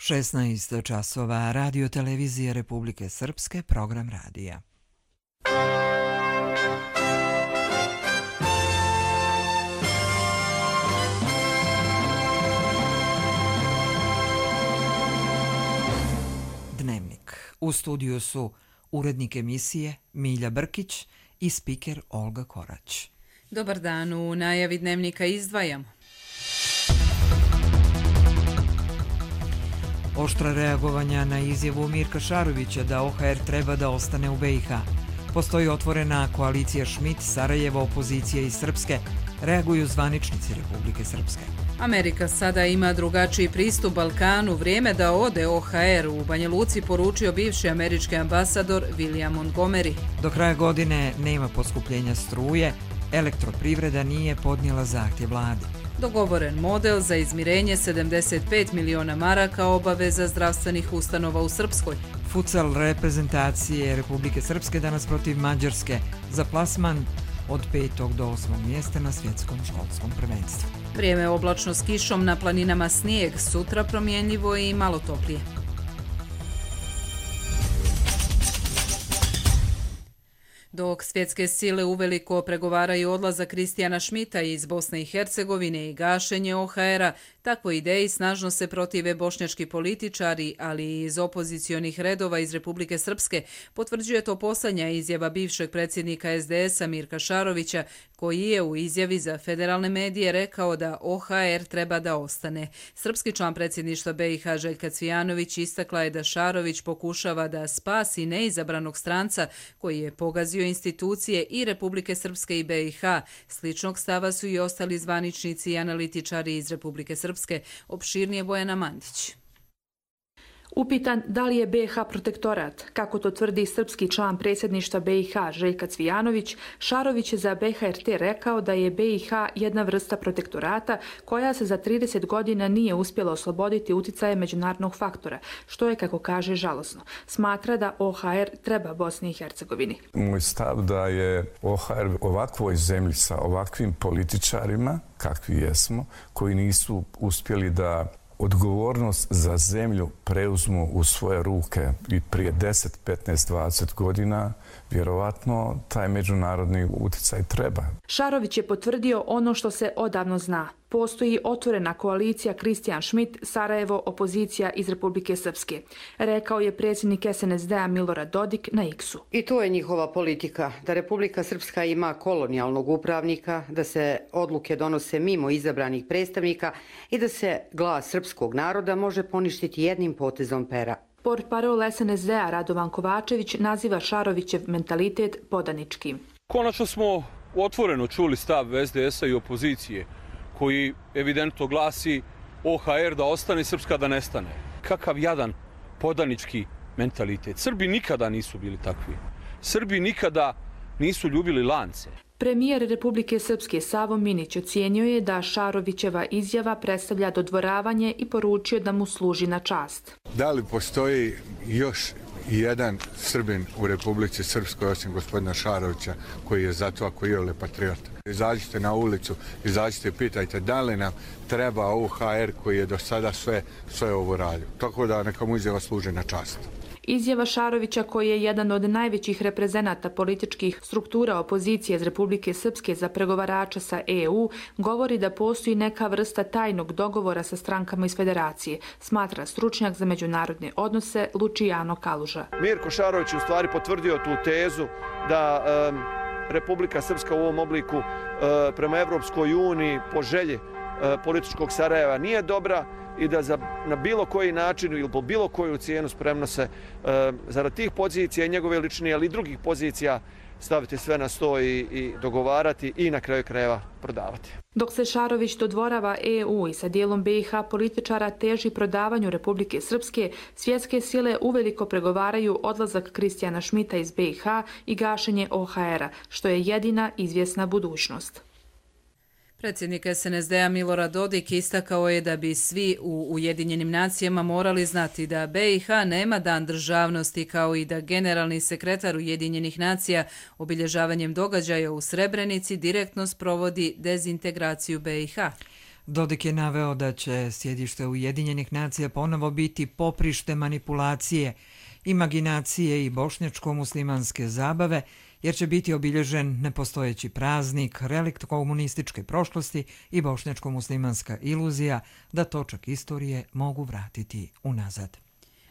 16 časova, Radio televizije Republike Srpske, program radija. Dnevnik. U studiju su urednik emisije Milja Brkić i spiker Olga Korać. Dobar dan, u najavi Dnevnika izdvajamo. Oštra reagovanja na izjavu Mirka Šarovića da OHR treba da ostane u BiH. Postoji otvorena koalicija Schmidt, Sarajevo, opozicija iz Srpske. Reaguju zvaničnici Republike Srpske. Amerika sada ima drugačiji pristup Balkanu. Vrijeme da ode OHR, u Banja Luci poručio bivši američki ambasador William Montgomery. Do kraja godine nema poskupljenja struje. Elektroprivreda nije podnijela zahtjev vladi. Dogovoren model za izmirenje 75 miliona maraka obaveza zdravstvenih ustanova u Srpskoj. Futsal reprezentacije Republike Srpske danas protiv Mađarske za plasman od 5. do 8. mjesta na svjetskom školskom prvenstvu. Vrijeme oblačno s kišom, na planinama snijeg, sutra promjenljivo i malo toplije. Dok svjetske sile uveliko pregovaraju odlazak Kristijana Schmidta iz Bosne i Hercegovine i gašenje OHR-a, takvoj ideji snažno se protive bošnjački političari, ali i iz opozicionih redova iz Republike Srpske, potvrđuje to posljednja izjava bivšeg predsjednika SDS-a Mirka Šarovića, koji je u izjavi za federalne medije rekao da OHR treba da ostane. Srpski član predsjedništva BiH Željka Cvijanović istakla je da Šarović pokušava da spasi neizabranog stranca koji je pogazio institucije i Republike Srpske i BiH. Sličnog stava su i ostali zvaničnici i analitičari iz Republike Srpske. Opširnije Bojana Mandić. Upitan da li je BiH protektorat, kako to tvrdi srpski član predsjedništva BiH Željka Cvijanović, Šarović je za BHRT rekao da je BiH jedna vrsta protektorata koja se za 30 godina nije uspjela osloboditi uticaje međunarodnog faktora, što je, kako kaže, žalosno. Smatra da OHR treba Bosni i Hercegovini. Moj stav da je OHR ovakvoj zemlji sa ovakvim političarima, kakvi jesmo, koji nisu uspjeli da odgovornost za zemlju preuzmu u svoje ruke i prije 10, 15, 20 godina, vjerovatno taj međunarodni utjecaj treba. Šarović je potvrdio ono što se odavno zna. Postoji otvorena koalicija Kristijan Schmidt, Sarajevo, opozicija iz Republike Srpske, rekao je predsjednik SNSD-a Milorad Dodik na X-u. I to je njihova politika, da Republika Srpska ima kolonijalnog upravnika, da se odluke donose mimo izabranih predstavnika i da se glas srpskog naroda može poništiti jednim potezom pera. Portparol SNSD-a Radovan Kovačević naziva Šarovićev mentalitet podaničkim. Konačno smo otvoreno čuli stav SDS-a i opozicije, koji evidentno glasi OHR da ostane, Srpska da nestane. Kakav jadan podanički mentalitet. Srbi nikada nisu bili takvi. Srbi nikada nisu ljubili lance. Premijer Republike Srpske Savo Minić ocijenio je da Šarovićeva izjava predstavlja dodvoravanje i poručio da mu služi na čast. Da li postoji još jedan Srbin u Republici Srpskoj osim gospodina Šarovića koji je za to ako je patriota? Izađite na ulicu, izađite i pitajte da li nam treba OHR koji je do sada sve ovo radio. Tako da neka mu izjava služi na čast. Izjava Šarovića, koji je jedan od najvećih reprezenata političkih struktura opozicije iz Republike Srpske za pregovarača sa EU, govori da postoji neka vrsta tajnog dogovora sa strankama iz federacije, smatra stručnjak za međunarodne odnose Lučijano Kaluža. Mirko Šarović je u stvari potvrdio tu tezu da Republika Srpska u ovom obliku prema Evropskoj uniji po želji političkog Sarajeva nije dobra i da na bilo koji način ili po bilo koju cijenu spremno se zarad tih pozicija i njegove lične, ali i drugih pozicija staviti sve na sto i dogovarati i na kraju krajeva prodavati. Dok se Šarović dodvorava EU i sa dijelom BiH političara teži prodavanju Republike Srpske, svjetske sile uveliko pregovaraju odlazak Kristijana Schmidta iz BiH i gašenje OHR-a, što je jedina izvjesna budućnost. Predsjednik SNSD-a Milorad Dodik istakao je da bi svi u Ujedinjenim nacijama morali znati da BiH nema dan državnosti, kao i da generalni sekretar Ujedinjenih nacija obilježavanjem događaja u Srebrenici direktno sprovodi dezintegraciju BiH. Dodik je naveo da će sjedište Ujedinjenih nacija ponovo biti poprište manipulacije, imaginacije i bošnjačko-muslimanske zabave, jer će biti obilježen nepostojeći praznik, relikt komunističke prošlosti i bošnjačko-muslimanska iluzija da točak istorije mogu vratiti unazad.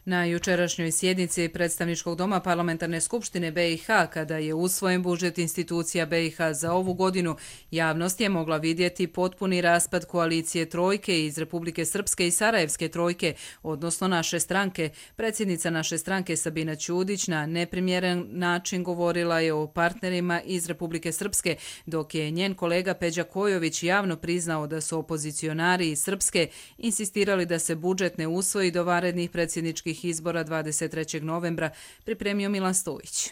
Na jučerašnjoj sjednici Predstavničkog doma Parlamentarne skupštine BiH, kada je usvojen budžet institucija BiH za ovu godinu, javnost je mogla vidjeti potpuni raspad koalicije trojke iz Republike Srpske i Sarajevske trojke, odnosno naše stranke. Predsjednica naše stranke Sabina Ćudić na neprimjeren način govorila je o partnerima iz Republike Srpske, dok je njen kolega Peđa Kojović javno priznao da su opozicionari iz Srpske insistirali da se budžet ne usvoji do vanrednih predsjedničkih izbora 23. novembra, pripremio Milan Stojić.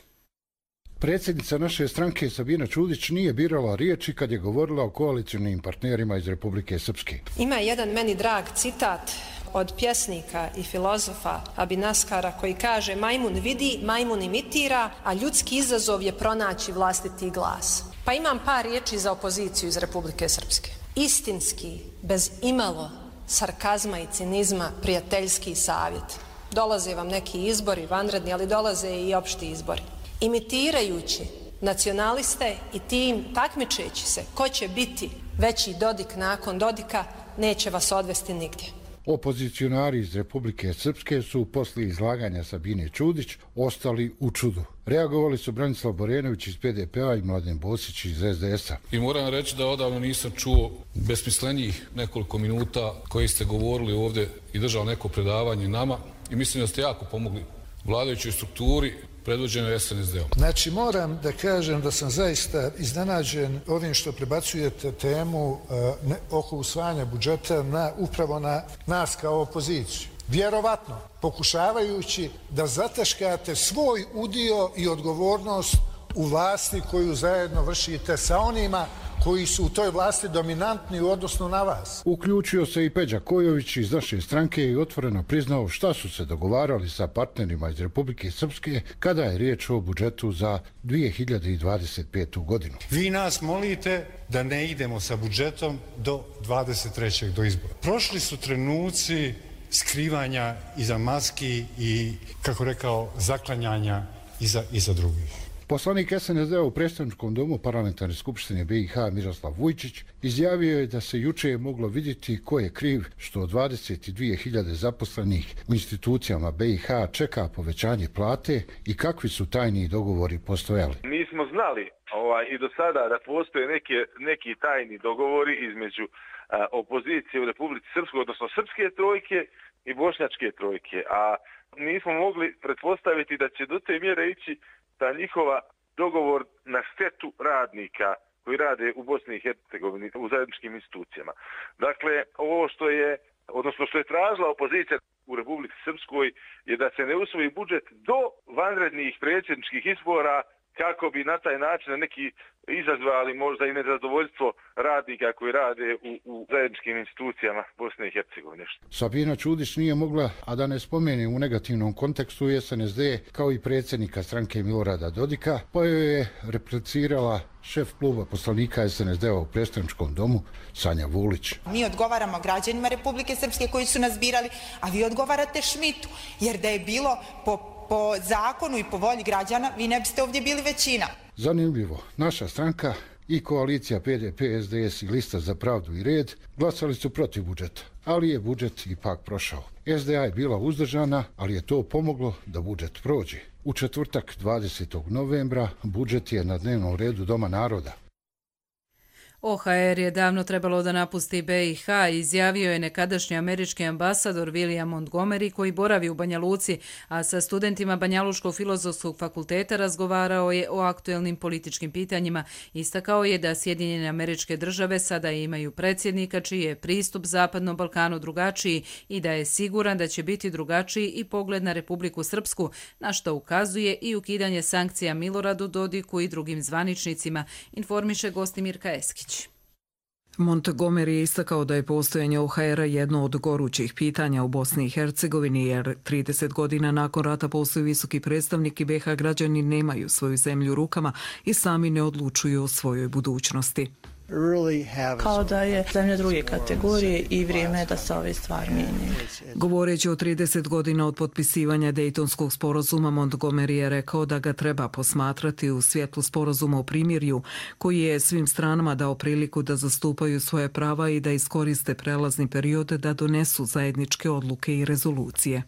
Predsjednica naše stranke Sabina Ćudić nije birala riječi kad je govorila o koalicionim partnerima iz Republike Srpske. Ima jedan meni drag citat od pjesnika i filozofa Abinaskara koji kaže: majmun vidi, majmun imitira, a ljudski izazov je pronaći vlastiti glas. Pa imam par riječi za opoziciju iz Republike Srpske. Istinski, bez imalo sarkazma i cinizma, prijateljski savjet. Dolaze vam neki izbori, vanredni, ali dolaze i opšti izbori. Imitirajući nacionaliste i tim takmičeći se ko će biti veći Dodik nakon Dodika, neće vas odvesti nigdje. Opozicionari iz Republike Srpske su poslije izlaganja Sabine Ćudić ostali u čudu. Reagovali su Branislav Borenović iz PDP-a i Mladen Bosić iz SDS-a. I moram reći da odavno nisam čuo besmislenijih nekoliko minuta koji ste govorili ovdje i držali neko predavanje nama i mislim da ste jako pomogli vladajućoj strukturi predvođenoj SNSD-om. Znači, moram da kažem da sam zaista iznenađen ovim što prebacujete temu oko usvajanja budžeta upravo na nas kao opoziciju. Vjerovatno, pokušavajući da zataškate svoj udio i odgovornost u vlasti koju zajedno vršite sa onima koji su u toj vlasti dominantni u odnosu na vas. Uključio se i Peđa Kojović iz naše stranke i otvoreno priznao šta su se dogovarali sa partnerima iz Republike Srpske kada je riječ o budžetu za 2025. godinu. Vi nas molite da ne idemo sa budžetom do 23. do izbora. Prošli su trenuci skrivanja iza maski i, kako rekao, zaklanjanja iza drugih. Poslanik SNSD-a u Predstavničkom domu Parlamentarne skupštine BiH Miroslav Vujčić izjavio je da se juče moglo vidjeti ko je kriv što 22.000 zaposlenih u institucijama BiH čeka povećanje plate i kakvi su tajni dogovori postojali. Mi smo znali i do sada da postoje neki tajni dogovori između opozicije u Republici Srpskoj, odnosno Srpske trojke i Bošnjačke trojke, a nismo mogli pretpostaviti da će do te mjere ići ta njihova dogovor na štetu radnika koji rade u Bosni i Hercegovini u zajedničkim institucijama. Dakle, ovo što je tražila opozicija u Republici Srpskoj je da se ne usvoji budžet do vanrednih predsjedničkih izbora kako bi na taj način neki izazvali možda i nezadovoljstvo radnika koji rade u zajedničkim institucijama Bosne i Hercegovine. Sabina Ćudić nije mogla, a da ne spomene u negativnom kontekstu SNSD kao i predsjednika stranke Milorada Dodika, pa joj je replicirala šef kluba poslanika SNSD-a u Predstavničkom domu Sanja Vulić. Mi odgovaramo građanima Republike Srpske koji su nas birali, a vi odgovarate Šmitu, jer da je bilo po zakonu i po volji građana, vi ne biste ovdje bili većina. Zanimljivo, naša stranka i koalicija PDP, SDS i Lista za pravdu i red glasali su protiv budžeta, ali je budžet ipak prošao. SDA je bila uzdržana, ali je to pomoglo da budžet prođe. U četvrtak 20. novembra budžet je na dnevnom redu Doma naroda. OHR je davno trebalo da napusti BiH, izjavio je nekadašnji američki ambasador William Montgomery koji boravi u Banja Luci, a sa studentima Banjalučkog filozofskog fakulteta razgovarao je o aktuelnim političkim pitanjima. Istakao je da Sjedinjene Američke Države sada imaju predsjednika čiji je pristup Zapadnom Balkanu drugačiji i da je siguran da će biti drugačiji i pogled na Republiku Srpsku, na što ukazuje i ukidanje sankcija Miloradu Dodiku i drugim zvaničnicima, informiše Gostimirka Eskić. Montgomery je istakao da je postojanje OHR-a jedno od gorućih pitanja u Bosni i Hercegovini, jer 30 godina nakon rata postoji visoki predstavnik i BiH građani nemaju svoju zemlju u rukama i sami ne odlučuju o svojoj budućnosti. Kao da je zemlja druge kategorije i vrijeme je da se ove stvari mijenjaju. Govoreći o 30 godina od potpisivanja Dejtonskog sporazuma, Montgomery je rekao da ga treba posmatrati u svjetlu sporazuma o primirju, koji je svim stranama dao priliku da zastupaju svoje prava i da iskoriste prelazni period da donesu zajedničke odluke i rezolucije.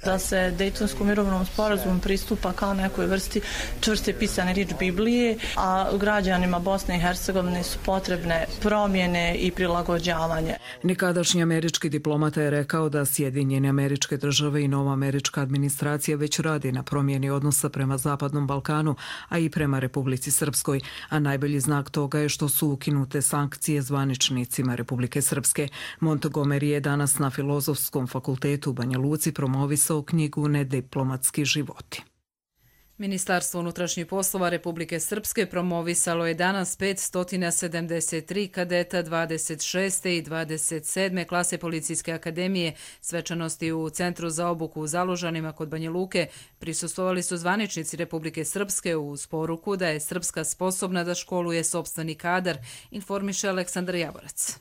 Da se Dejtonskom mirovnom sporazumu pristupa kao nekoj vrsti čvrste pisane riječ Biblije, a građanima Bosne i Hercegovine su potrebne promjene i prilagođavanje. Nekadašnji američki diplomata je rekao da Sjedinjene Američke Države i nova američka administracija već radi na promjeni odnosa prema Zapadnom Balkanu, a i prema Republici Srpskoj, a najbolji znak toga je što su ukinute sankcije zvaničnicima Republike Srpske. Montgomery je danas na Filozofskom fakultetu u Banja Luci promovisao knjigu Nediplomatski životi. Ministarstvo unutrašnjih poslova Republike Srpske promovisalo je danas 573 kadeta 26. i 27. klase Policijske akademije. Svečanosti u Centru za obuku u Zalužanima kod Banja Luke prisustvovali su zvaničnici Republike Srpske uz poruku da je Srpska sposobna da školuje sopstveni kadar, informiše Aleksandar Javorac.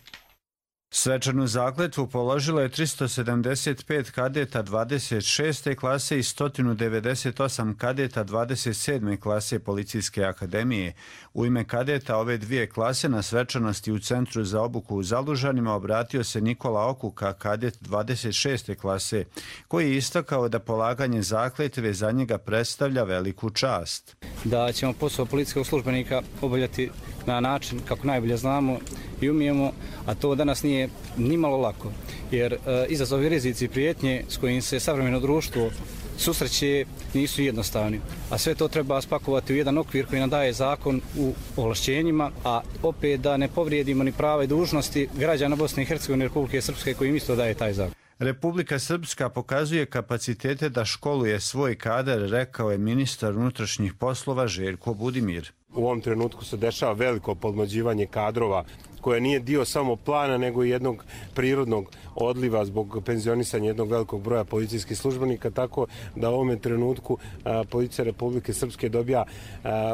Svečanu zakletvu položilo je 375 kadeta 26. klase i 198 kadeta 27. klase Policijske akademije. U ime kadeta ove dvije klase na svečanosti u Centru za obuku u Zalužanima obratio se Nikola Okuka, kadet 26. klase, koji je istakao da polaganje zakletve za njega predstavlja veliku čast. Da ćemo posao policijskog službenika obavljati na način kako najbolje znamo i umijemo, a to danas nije nimalo lako, jer izazovi, rizici i prijetnje s kojim se savremeno društvo susreće nisu jednostavni, a sve to treba spakovati u jedan okvir koji nam daje zakon u ovlašćenjima, a opet da ne povrijedimo ni prava i dužnosti građana Bosne i Hercegovine i Republike Srpske koji im isto daje taj zakon. Republika Srpska pokazuje kapacitete da školuje svoj kadar, rekao je ministar unutrašnjih poslova Željko Budimir. U ovom trenutku se dešava veliko podmlađivanje kadrova koje nije dio samo plana nego i jednog prirodnog odliva zbog penzionisanja jednog velikog broja policijskih službenika, tako da u ovom trenutku Policija Republike Srpske dobija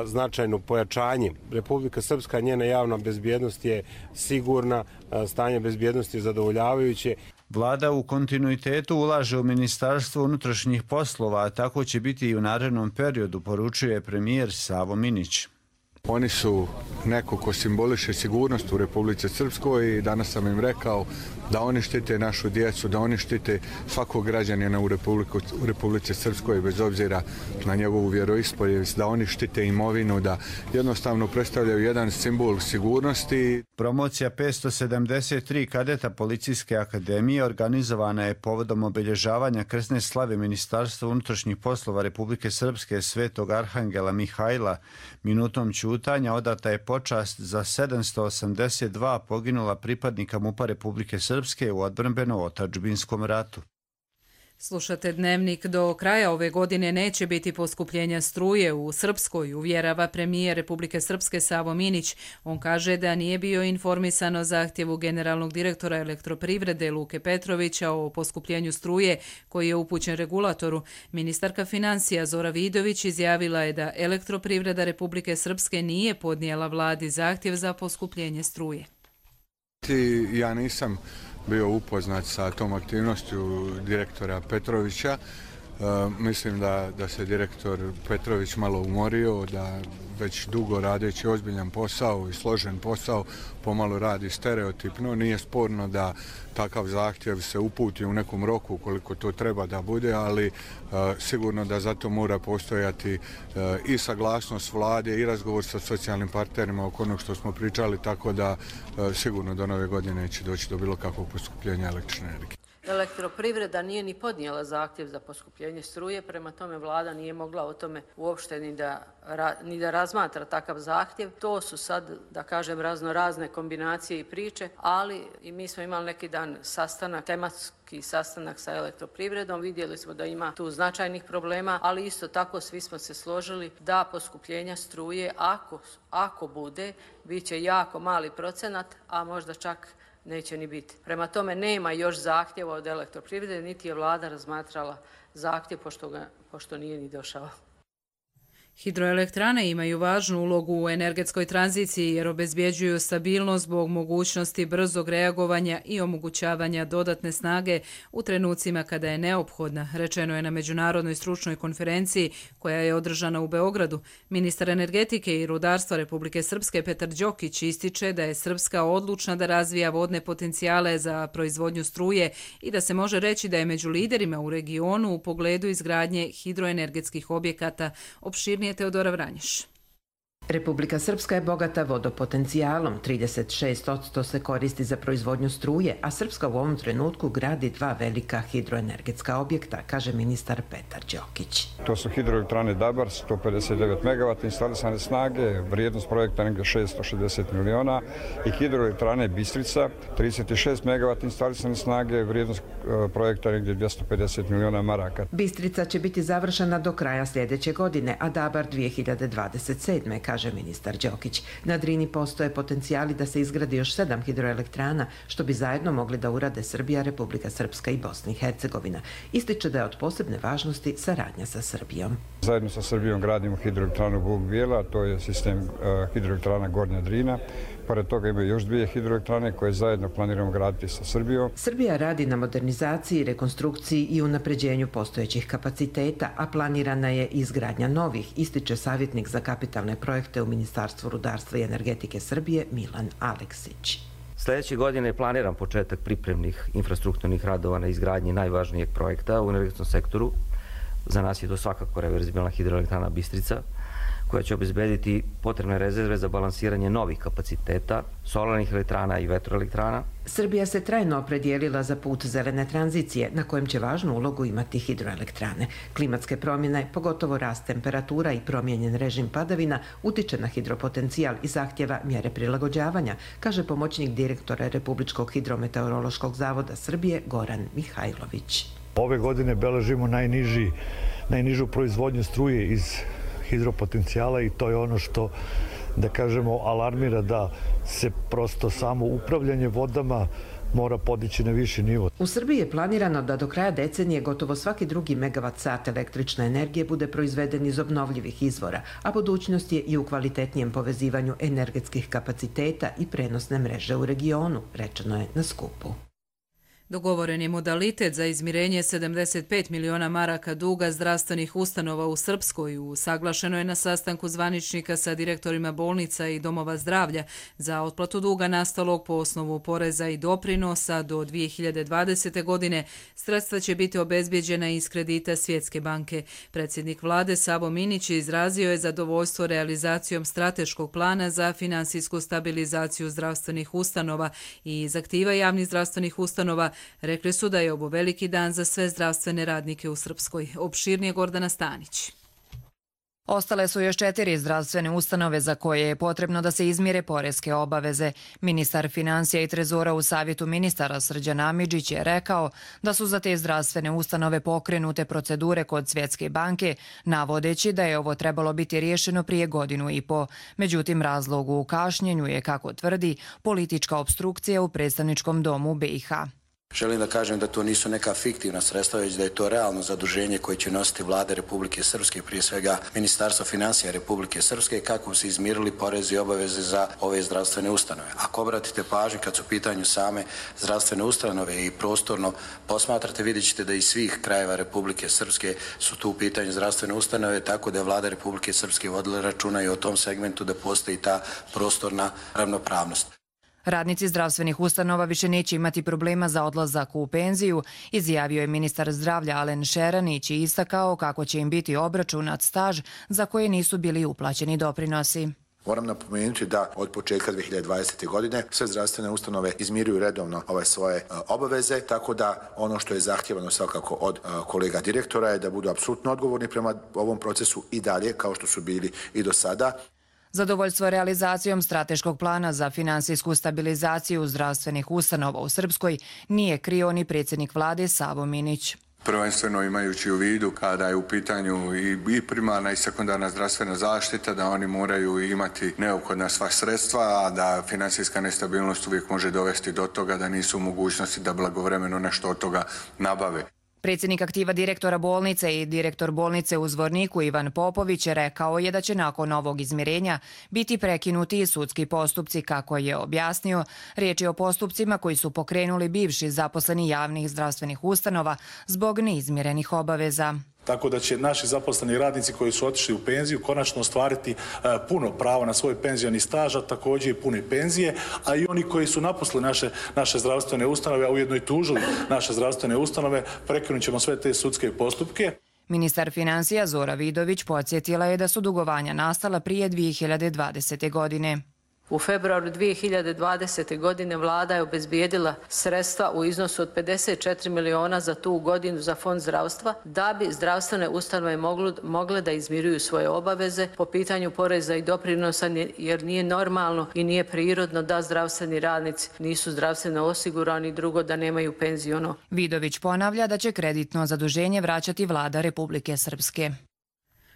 značajno pojačanje. Republika Srpska, njena javna bezbjednost je sigurna, stanje bezbjednosti je zadovoljavajuće. Vlada u kontinuitetu ulaže u Ministarstvo unutrašnjih poslova, a tako će biti i u narednom periodu, poručuje premijer Savo Minić. Oni su neko ko simboliše sigurnost u Republici Srpskoj i danas sam im rekao da oni štite našu djecu, da oni štite svakog građanina u Republici Srpskoj bez obzira na njegovu vjeroispovijest, da oni štite imovinu, da jednostavno predstavljaju jedan simbol sigurnosti. Promocija 573 kadeta Policijske akademije organizovana je povodom obilježavanja krsne slave Ministarstva unutrašnjih poslova Republike Srpske Svetog Arhangela Mihajla. Minutom ćutanja odata je počast za 782 poginula pripadnika MUP-a Republike Srpske u odbrambeno-otadžbinskom ratu. Slušate Dnevnik. Do kraja ove godine neće biti poskupljenja struje u Srpskoj, uvjerava premijer Republike Srpske Savo Minić. On kaže da nije bio informisan o zahtjevu generalnog direktora Elektroprivrede Luke Petrovića o poskupljenju struje koji je upućen regulatoru. Ministarka financija Zora Vidović izjavila je da Elektroprivreda Republike Srpske nije podnijela vladi zahtjev za poskupljenje struje. Ja nisam bio upoznat sa tom aktivnošću direktora Petrovića. Mislim da se direktor Petrović malo umorio, da već dugo radeći ozbiljan posao i složen posao pomalo radi stereotipno. Nije sporno da takav zahtjev se uputi u nekom roku koliko to treba da bude, ali sigurno da zato mora postojati i saglasnost vlade i razgovor sa socijalnim partnerima oko onog što smo pričali, tako da sigurno do nove godine neće doći do bilo kakvog poskupljenja električne energije. Elektroprivreda nije ni podnijela zahtjev za poskupljenje struje, prema tome vlada nije mogla o tome uopšte ni da razmatra takav zahtjev. To su sad, da kažem, razne kombinacije i priče, ali i mi smo imali neki dan sastanak, tematski sastanak sa Elektroprivredom, vidjeli smo da ima tu značajnih problema, ali isto tako svi smo se složili da poskupljenja struje, ako bude, bit će jako mali procenat, a možda čak neće ni biti. Prema tome nema još zahtjeva od Elektroprivrede, niti je vlada razmatrala zahtjev pošto nije ni došao. Hidroelektrane imaju važnu ulogu u energetskoj tranziciji jer obezbjeđuju stabilnost zbog mogućnosti brzog reagovanja i omogućavanja dodatne snage u trenucima kada je neophodna, rečeno je na međunarodnoj stručnoj konferenciji koja je održana u Beogradu. Ministar energetike i rudarstva Republike Srpske Petar Đokić ističe da je Srpska odlučna da razvija vodne potencijale za proizvodnju struje i da se može reći da je među liderima u regionu u pogledu izgradnje hidroenergetskih objekata. Opširnije Teodora Vranješ. Republika Srpska je bogata vodopotencijalom, 36% se koristi za proizvodnju struje, a Srpska u ovom trenutku gradi 2 velika hidroenergetska objekta, kaže ministar Petar Đokić. To su hidroelektrane Dabar, 159 MW instalisane snage, vrijednost projekta negdje 660 miliona i hidroelektrane Bistrica, 36 MW instalisane snage, vrijednost projekta negdje 250 miliona maraka. Bistrica će biti završena do kraja sljedeće godine, a Dabar 2027. kaže ministar Đokić. Na Drini postoje potencijali da se izgradi još 7 hidroelektrana, što bi zajedno mogli da urade Srbija, Republika Srpska i Bosna i Hercegovina. Ističe da je od posebne važnosti saradnja sa Srbijom. Zajedno sa Srbijom gradimo hidroelektranu Vuk Bijela, to je sistem hidroelektrana Gornja Drina. Pored toga imaju još 2 hidroelektrane koje zajedno planiramo graditi sa Srbijom. Srbija radi na modernizaciji, rekonstrukciji i unapređenju postojećih kapaciteta, a planirana je izgradnja novih, ističe savjetnik za kapitalne projekte u Ministarstvu rudarstva i energetike Srbije Milan Aleksić. Sljedeće godine je planiran početak pripremnih infrastrukturnih radova na izgradnji najvažnijeg projekta u energetskom sektoru. Za nas je to svakako reverzibilna hidroelektrana Bistrica, koja će obezbediti potrebne rezerve za balansiranje novih kapaciteta, solarnih elektrana i vetroelektrana. Srbija se trajno opredijelila za put zelene tranzicije, na kojem će važnu ulogu imati hidroelektrane. Klimatske promjene, pogotovo rast temperatura i promijenjen režim padavina, utiče na hidropotencijal i zahtjeva mjere prilagođavanja, kaže pomoćnik direktora Republičkog hidrometeorološkog zavoda Srbije Goran Mihajlović. Ove godine beležimo najnižu proizvodnju struje iz hidropotencijala i to je ono što, da kažemo, alarmira da se prosto samo upravljanje vodama mora podići na viši nivo. U Srbiji je planirano da do kraja decenije gotovo svaki drugi megavat sat električne energije bude proizveden iz obnovljivih izvora, a budućnost je i u kvalitetnijem povezivanju energetskih kapaciteta i prenosne mreže u regionu, rečeno je na skupu. Dogovoren je modalitet za izmirenje 75 miliona maraka duga zdravstvenih ustanova u Srpskoj. Usaglašeno je na sastanku zvaničnika sa direktorima bolnica i domova zdravlja za otplatu duga nastalog po osnovu poreza i doprinosa do 2020. godine. Sredstva će biti obezbjeđena iz kredita Svjetske banke. Predsjednik vlade Savo Minić izrazio je zadovoljstvo realizacijom strateškog plana za finansijsku stabilizaciju zdravstvenih ustanova i iz aktiva javnih zdravstvenih ustanova. Rekli su da je ovo veliki dan za sve zdravstvene radnike u Srpskoj. Opširnije Gordana Stanić. Ostale su još 4 zdravstvene ustanove za koje je potrebno da se izmire poreske obaveze. Ministar financija i trezora u savjetu ministara Srđan Amidžić je rekao da su za te zdravstvene ustanove pokrenute procedure kod Svjetske banke, navodeći da je ovo trebalo biti riješeno prije 1,5 godine. Međutim, razlog u kašnjenju je, kako tvrdi, politička opstrukcija u predstavničkom domu BiH. Želim da kažem da to nisu neka fiktivna sredstva, već da je to realno zaduženje koje će nositi vlada Republike Srpske, prije svega Ministarstvo financija Republike Srpske, kako se izmirili porezi i obaveze za ove zdravstvene ustanove. Ako obratite pažnju kad su u pitanju same zdravstvene ustanove i prostorno posmatrate, vidjet ćete da iz svih krajeva Republike Srpske su tu u pitanju zdravstvene ustanove, tako da je vlada Republike Srpske vodila računa i o tom segmentu da postoji ta prostorna ravnopravnost. Radnici zdravstvenih ustanova više neće imati problema za odlazak u penziju, izjavio je ministar zdravlja Alen Šeranić i istakao kako će im biti obračunat staž za koje nisu bili uplaćeni doprinosi. Moram napomenuti da od početka 2020. godine sve zdravstvene ustanove izmiruju redovno svoje obaveze, tako da ono što je zahtjevano svakako od kolega direktora je da budu apsolutno odgovorni prema ovom procesu i dalje, kao što su bili i do sada. Zadovoljstvo realizacijom strateškog plana za finansijsku stabilizaciju zdravstvenih ustanova u Srpskoj nije krio ni predsjednik vlade Savo Minić. Prvenstveno imajući u vidu kada je u pitanju i primarna i sekundarna zdravstvena zaštita, da oni moraju imati neophodna sva sredstva, a da finansijska nestabilnost uvijek može dovesti do toga da nisu u mogućnosti da blagovremeno nešto od toga nabave. Predsjednik aktiva direktora bolnice i direktor bolnice u Zvorniku Ivan Popović rekao je da će nakon ovog izmirenja biti prekinuti i sudski postupci, kako je objasnio. Riječ je o postupcima koji su pokrenuli bivši zaposleni javnih zdravstvenih ustanova zbog neizmirenih obaveza. Tako da će naši zaposleni radnici koji su otišli u penziju konačno ostvariti puno pravo na svoj penzioni staž, a također i pune penzije, a i oni koji su napustili naše zdravstvene ustanove, a ujedno i tužili naše zdravstvene ustanove, prekinut ćemo sve te sudske postupke. Ministar financija Zora Vidović podsjetila je da su dugovanja nastala prije 2020. godine. U februaru 2020. godine vlada je obezbijedila sredstva u iznosu od 54 miliona za tu godinu za fond zdravstva da bi zdravstvene ustanove mogle da izmiruju svoje obaveze po pitanju poreza i doprinosa, jer nije normalno i nije prirodno da zdravstveni radnici nisu zdravstveno osigurani, drugo da nemaju penziono. Vidović ponavlja da će kreditno zaduženje vraćati vlada Republike Srpske.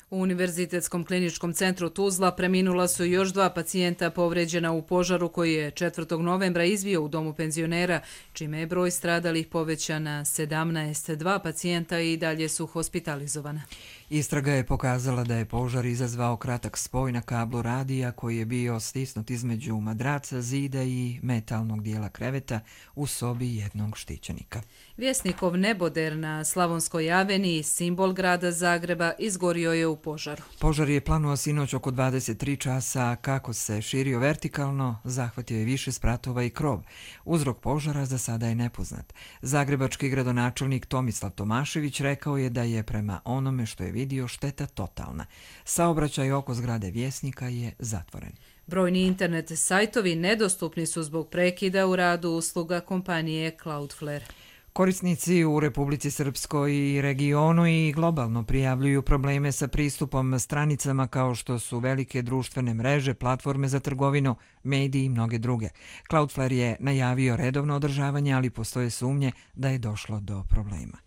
U Univerzitetskom kliničkom centru Tuzla preminula su još 2 pacijenta povređena u požaru koji je 4. novembra izbio u domu penzionera, čime je broj stradalih povećan na 17. 2 pacijenta i dalje su hospitalizovana. Istraga je pokazala da je požar izazvao kratak spoj na kablu radija koji je bio stisnut između madraca, zida i metalnog dijela kreveta u sobi jednog štićenika. Vjesnikov neboder na Slavonskoj aveniji, simbol grada Zagreba, izgorio je u požaru. Požar je planuo sinoć oko 23 časa, kako se širio vertikalno, zahvatio je više spratova i krov. Uzrok požara za sada je nepoznat. Zagrebački gradonačelnik Tomislav Tomašević rekao je da je prema onome što je vidio šteta totalna. Saobraćaj oko zgrade Vjesnika je zatvoren. Brojni internet sajtovi nedostupni su zbog prekida u radu usluga kompanije Cloudflare. Korisnici u Republici Srpskoj i regionu i globalno prijavljuju probleme sa pristupom stranicama kao što su velike društvene mreže, platforme za trgovinu, mediji i mnoge druge. Cloudflare je najavio redovno održavanje, ali postoje sumnje da je došlo do problema.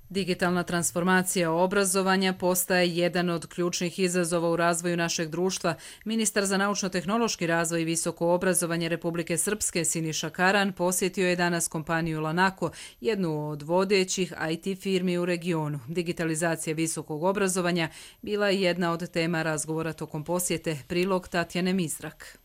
Digitalna transformacija obrazovanja postaje jedan od ključnih izazova u razvoju našeg društva. Ministar za naučno-tehnološki razvoj i visoko obrazovanje Republike Srpske Siniša Karan posjetio je danas kompaniju Lanako, jednu od vodećih IT firmi u regionu. Digitalizacija visokog obrazovanja bila je jedna od tema razgovora tokom posjete. Prilog Tatjane Mizrak.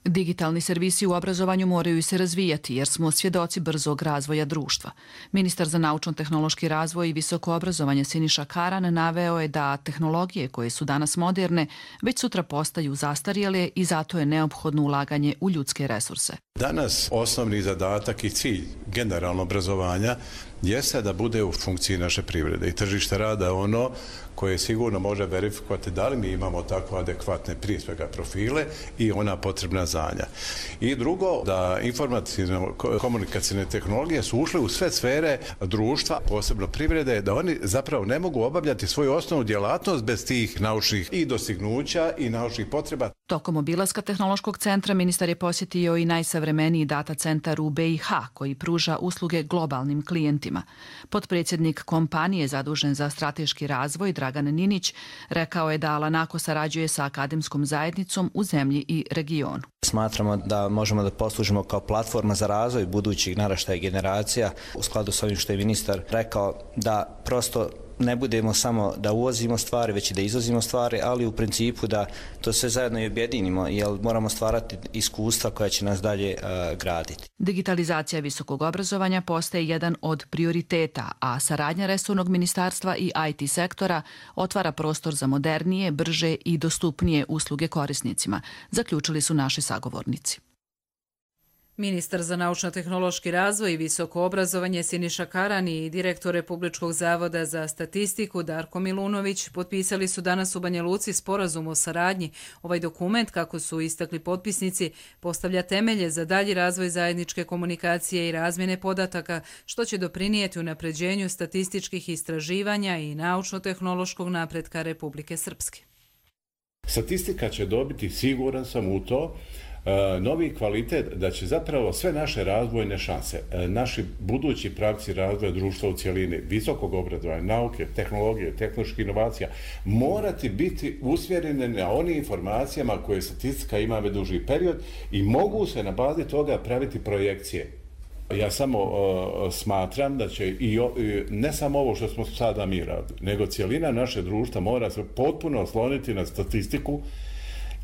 Digitalni servisi u obrazovanju moraju se razvijati jer smo svjedoci brzog razvoja društva. Ministar za naučno-tehnološki razvoj i visoko obrazovanje Siniša Karan naveo je da tehnologije koje su danas moderne već sutra postaju zastarjele i zato je neophodno ulaganje u ljudske resurse. Danas osnovni zadatak i cilj generalno obrazovanja jeste da bude u funkciji naše privrede i tržište rada ono koje sigurno može verifikovati da li mi imamo tako adekvatne prije svega profile i ona potrebna znanja. I drugo, da informacijno-komunikacijne tehnologije su ušle u sve sfere društva, posebno privrede, da oni zapravo ne mogu obavljati svoju osnovnu djelatnost bez tih naučnih i dostignuća i naučnih potreba. Tokom obilaska tehnološkog centra ministar je posjetio i najsavremeniji data centar u BiH koji pruža usluge globalnim klijentima. Potpredsjednik kompanije zadužen za strateški razvoj Dragan Ninić rekao je da Lanako sarađuje sa akademskom zajednicom u zemlji i regionu. Smatramo da možemo da poslužimo kao platforma za razvoj budućih naraštaja generacija u skladu s ovim što je ministar rekao, da prosto ne budemo samo da uvozimo stvari, već i da izvozimo stvari, ali u principu da to sve zajedno i objedinimo, jer moramo stvarati iskustva koja će nas dalje graditi. Digitalizacija visokog obrazovanja postaje jedan od prioriteta, a saradnja resornog ministarstva i IT sektora otvara prostor za modernije, brže i dostupnije usluge korisnicima, zaključili su naši sagovornici. Ministar za naučno-tehnološki razvoj i visoko obrazovanje Siniša Karan i direktor Republičkog zavoda za statistiku Darko Milunović potpisali su danas u Banja Luci sporazum o saradnji. Ovaj dokument, kako su istakli potpisnici, postavlja temelje za dalji razvoj zajedničke komunikacije i razmjene podataka, što će doprinijeti unapređenju statističkih istraživanja i naučno-tehnološkog napretka Republike Srpske. Statistika će dobiti, siguran sam u to, novi kvalitet, da će zapravo sve naše razvojne šanse, naši budući pravci razvoja društva u cjelini, visokog obrazovanja, nauke, tehnologije, tehnoloških inovacija, morati biti usmjerene na onim informacijama koje statistika ima već duži period i mogu se na bazi toga praviti projekcije. Ja samo smatram da će ne samo ovo što smo sada mi radili, nego cjelina naše društva mora se potpuno osloniti na statistiku,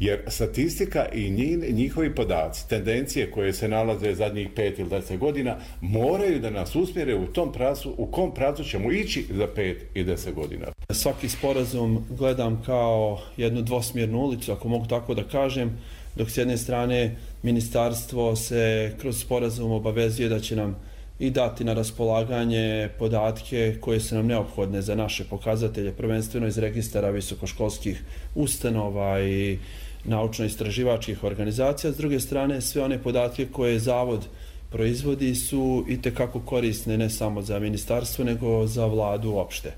jer statistika i njihovi podaci, tendencije koje se nalaze zadnjih 5 ili 10 godina, moraju da nas usmjere u tom pravcu, u kom pravcu ćemo ići za 5 i 10 godina. Svaki sporazum gledam kao jednu dvosmjernu ulicu, ako mogu tako da kažem, dok s jedne strane ministarstvo se kroz sporazum obavezuje da će nam i dati na raspolaganje podatke koje su nam neophodne za naše pokazatelje, prvenstveno iz registara visokoškolskih ustanova i naučno-istraživačkih organizacija. S druge strane, sve one podatke koje Zavod proizvodi su itekako korisne ne samo za ministarstvo, nego za vladu uopšte.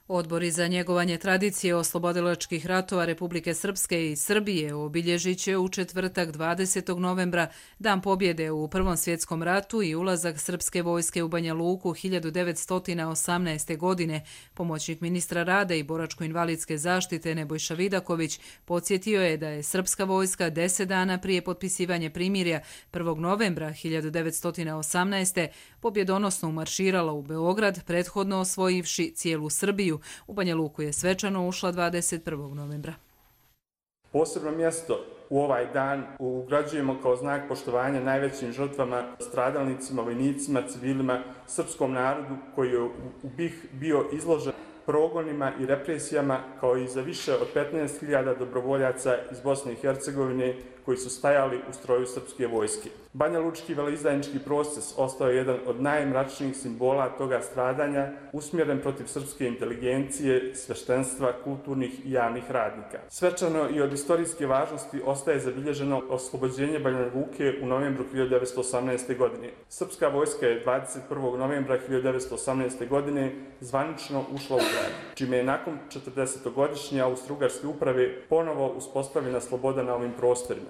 Odbori za njegovanje tradicije oslobodilačkih ratova Republike Srpske i Srbije obilježit će u četvrtak 20. novembra Dan pobjede u Prvom svjetskom ratu i ulazak srpske vojske u Banja Luku 1918. godine. Pomoćnik ministra rada i boračko-invalidske zaštite Nebojša Vidaković podsjetio je da je srpska vojska 10 dana prije potpisivanja primirja 1. novembra 1918. pobjedonosno umarširala u Beograd, prethodno osvojivši cijelu Srbiju. U Banja Luku je svečano ušla 21. novembra. Posebno mjesto u ovaj dan ugrađujemo kao znak poštovanja najvećim žrtvama, stradalnicima, vojnicima, civilima, srpskom narodu koji je u BiH bio izložen progonima i represijama, kao i za više od 15.000 dobrovoljaca iz Bosne i Hercegovine koji su stajali u stroju srpske vojske. Banja Lučki veleizdajnički proces ostao je jedan od najmračnijih simbola toga stradanja, usmjeren protiv srpske inteligencije, sveštenstva, kulturnih i javnih radnika. Svečano i od istorijske važnosti ostaje zabilježeno oslobođenje Banja Luke u novembru 1918. godine. Srpska vojska je 21. novembra 1918. godine zvanično ušla u grad, čime je nakon 40-godišnje austrougarske uprave ponovo uspostavljena sloboda na ovim prostorima.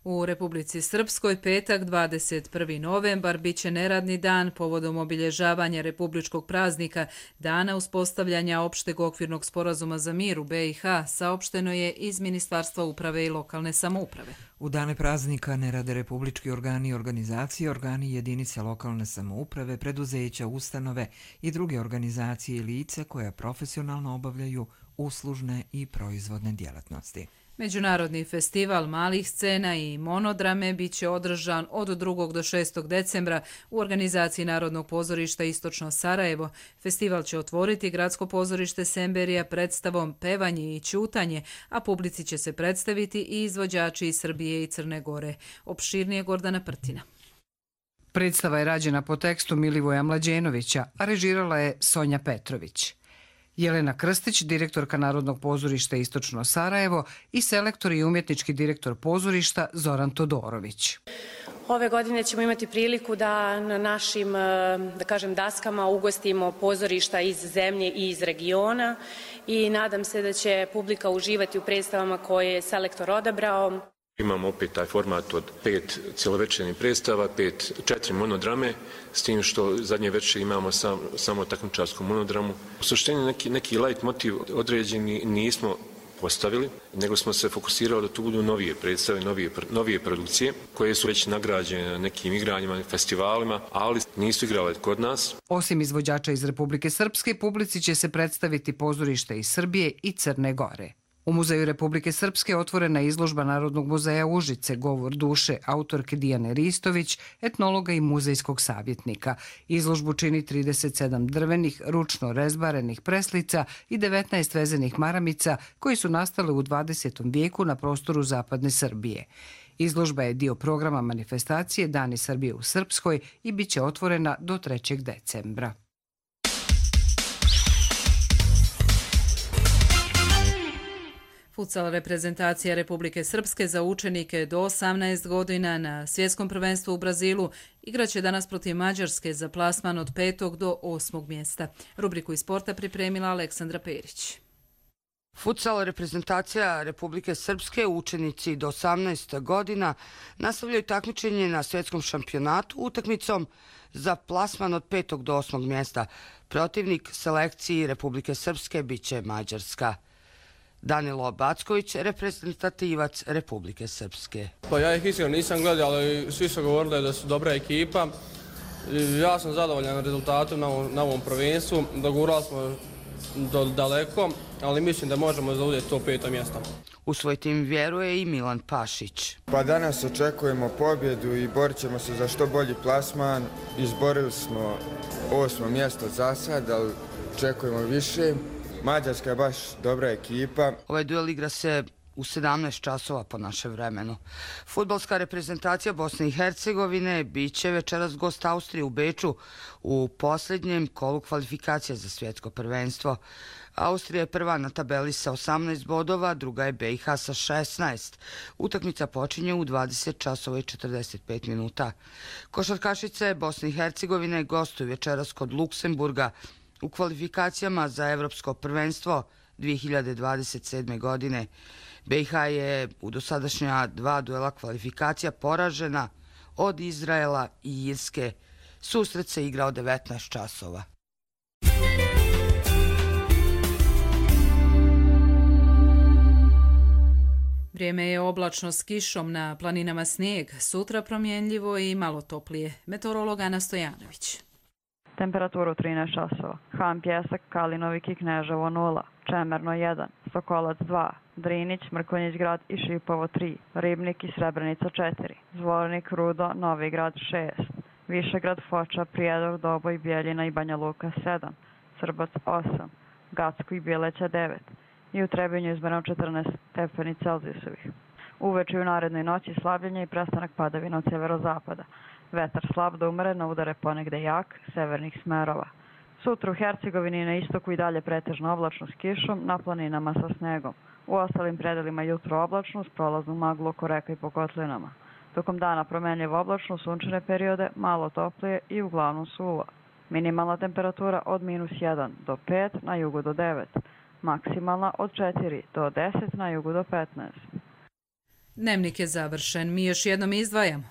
U Republici Srpskoj petak 21. novembar biće neradni dan povodom obilježavanja republičkog praznika Dana uspostavljanja opšteg okvirnog sporazuma za mir u BiH, saopšteno je iz Ministarstva uprave i lokalne samouprave. U dane praznika ne rade republički organi i organizacije, organi jedinice lokalne samouprave, preduzeća, ustanove i druge organizacije i lice koja profesionalno obavljaju uslužne i proizvodne djelatnosti. Međunarodni festival malih scena i monodrame biće održan od 2. do 6. decembra u organizaciji Narodnog pozorišta Istočno Sarajevo. Festival će otvoriti gradsko pozorište Semberija predstavom Pevanje i ćutanje, a publici će se predstaviti i izvođači iz Srbije i Crne Gore. Opširnije Gordana Prtina. Predstava je rađena po tekstu Milivoja Mlađenovića, a režirala je Sonja Petrović. Jelena Krstić, direktorka Narodnog pozorišta Istočno Sarajevo i selektor i umjetnički direktor pozorišta Zoran Todorović. Ove godine ćemo imati priliku da na našim, da kažem, daskama ugostimo pozorišta iz zemlje i iz regiona i nadam se da će publika uživati u predstavama koje je selektor odabrao. Imamo opet taj format od 5 cjelovečernih predstava, 4 monodrame, s tim što zadnje večer imamo samo takmičarsku monodramu. U suštini neki light motiv određeni nismo postavili, nego smo se fokusirali da tu budu novije predstave, novije produkcije, koje su već nagrađene na nekim igranjima i festivalima, ali nisu igrale kod nas. Osim izvođača iz Republike Srpske, publici će se predstaviti pozorište iz Srbije i Crne Gore. U Muzeju Republike Srpske otvorena je izložba Narodnog muzeja Užice, Govor duše, autorke Dijane Ristović, etnologa i muzejskog savjetnika. Izložbu čini 37 drvenih, ručno rezbarenih preslica i 19 vezenih maramica koji su nastale u 20. vijeku na prostoru zapadne Srbije. Izložba je dio programa manifestacije Dani Srbije u Srpskoj i bit će otvorena do 3. decembra. Futsal reprezentacija Republike Srpske za učenike do 18 godina na svjetskom prvenstvu u Brazilu igraće danas protiv Mađarske za plasman od 5. do 8. mjesta. Rubriku iz sporta pripremila Aleksandra Perić. Futsal reprezentacija Republike Srpske, učenici do 18 godina, nastavljaju takmičenje na svjetskom šampionatu utakmicom za plasman od 5. do 8. mjesta. Protivnik selekciji Republike Srpske biće Mađarska. Danilo Backović, reprezentativac Republike Srpske. Pa ja ih iskreno nisam gledao, ali svi su govorili da su dobra ekipa. Ja sam zadovoljan rezultatom na ovom prvenstvu. Dogurali smo daleko, ali mislim da možemo zauzeti to 5. mjesto. U svoj tim vjeruje i Milan Pašić. Pa danas očekujemo pobjedu i borit ćemo se za što bolji plasman. Izborili smo 8. mjesto za sad, ali očekujemo više. Mađarska je baš dobra ekipa. Ovaj duel igra se u 17 časova po našem vremenu. Fudbalska reprezentacija Bosne i Hercegovine biće večeras gost Austrije u Beču u posljednjem kolu kvalifikacija za svjetsko prvenstvo. Austrija je prva na tabeli sa 18 bodova, druga je BiH sa 16. Utakmica počinje u 20 časova i 45 minuta. Košarkašice Bosne i Hercegovine gostuju večeras kod Luksemburga u kvalifikacijama za Evropsko prvenstvo 2027. godine. BiH je u dosadašnja 2 duela kvalifikacija poražena od Izraela i Irske. Susret se igrao 19 časova. Vrijeme je oblačno s kišom, na planinama snijeg, sutra promjenljivo i malo toplije. Meteorolog Ana Stojanović. Temperaturu 13 časova. Han Pjesak, Kalinovik i Kneževo 0, Čemerno 1, Sokolac 2, Drinić, Mrkonjić grad i Šipovo 3, Ribnik i Srebrenica 4, Zvornik, Rudo, Novi grad 6, Višegrad, Foča, Prijedor, Doboj, Bjeljina i Banja Luka 7, Srbac 8, Gacko i Bileća 9 i u Trebinju izmjereno 14 stepeni Celzijusovih. Uveče u narednoj noći slabljenje i prestanak padavina od severozapada. Vetar slab do umeren, udare ponegde jak, severnih smerova. Sutra u Hercegovini i na istoku i dalje pretežno oblačno s kišom, na planinama sa snegom. U ostalim predelima jutro oblačno s prolaznu maglu oko reka i po kotlinama. Tokom dana promenljivo oblačno, sunčane periode, malo toplije i uglavnom suvo. Minimalna temperatura od -1 do 5, na jugu do 9. Maksimalna od 4 do 10, na jugu do 15. Dnevnik je završen. Mi još jednom izdvajamo.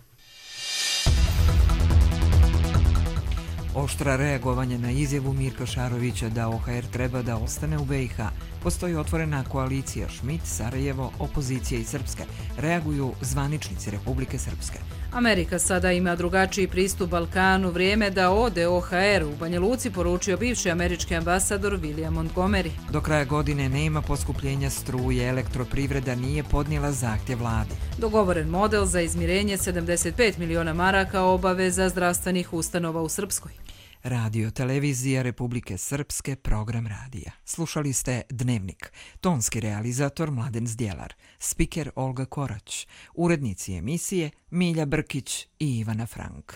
Oštra reagovanje na izjavu Mirka Šarovića da OHR treba da ostane u BiH. Postoji otvorena koalicija Schmidt, Sarajevo, opozicija i Srpske. Reaguju zvaničnici Republike Srpske. Amerika sada ima drugačiji pristup Balkanu. Vrijeme da ode OHR u Banja Luci, poručio bivši američki ambasador William Montgomery. Do kraja godine nema poskupljenja struje, elektroprivreda nije podnijela zahtjev vlade. Dogovoren model za izmirenje 75 miliona maraka obaveza zdravstvenih ustanova u Srpskoj. Radio televizija Republike Srpske, program radija. Slušali ste Dnevnik. Tonski realizator Mladen Zdjelar, spiker Olga Korać, urednici emisije Milja Brkić i Ivana Frank.